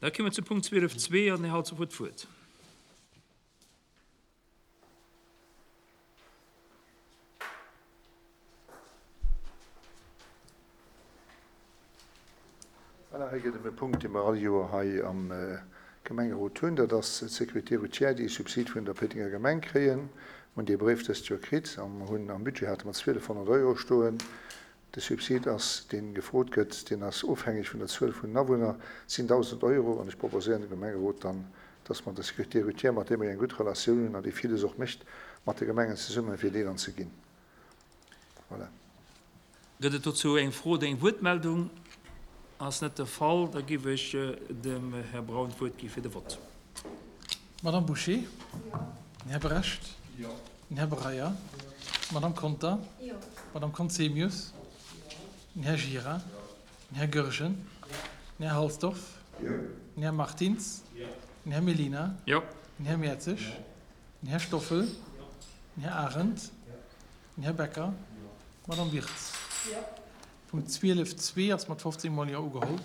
Da komme mer zum Punkt 12.2 an den Här Halsdorf huet d'Wuert. Voilà, hei gëtt ëm e Punkt, dee mer all Joer hei am Gemengerot hunn. Dat ass d'Sécurité routière, déi e Subsid vun der Péitenger Gemeng kréien. Mer hunn dee Bréif dëst Joer kritt a mer hunn am Budget hate mer 1.200 Euro stoen. De Subsid ass, dee gefrot gëtt, deen ass ofhängeg vun der Zuel vun den Awunner, sinn 1.000 Euro. An ech proposéieren dem Gemengerot dann, dass mer der Sécurité routière, mat deem mer jo eng gutt Relatioun hunn an déi villes och mécht mat de Gemengen zesummen, fir déi dann ze ginn. Voilà. Gëtt et dozou eng Fro oder eng Wuertmeldung? Ass net de Fall. Da géif ech dem Här Braun d'Wuert gi fir de Vott. Madame Bouché? Jo. Den Här Brecht? Jo. Den Här Breyer? Jo. D'Madame Conter? Jo. D'Madame Conzemius? Jo. Den Här Gira? Jo. Den Här Goergen? Jo. Den Här Halsdorf? Jo. Den Här Martins? Jo. Den Här Mellina? Jo. Den Här Mertzig? Jo. Den Här Stoffel? Jo. Den Här Arendt? Jo. Den Här Becker? Jo. D'Madame Wirtz? Jo. Punkt 12 zwee ass mat 15 mol Jo ugeholl.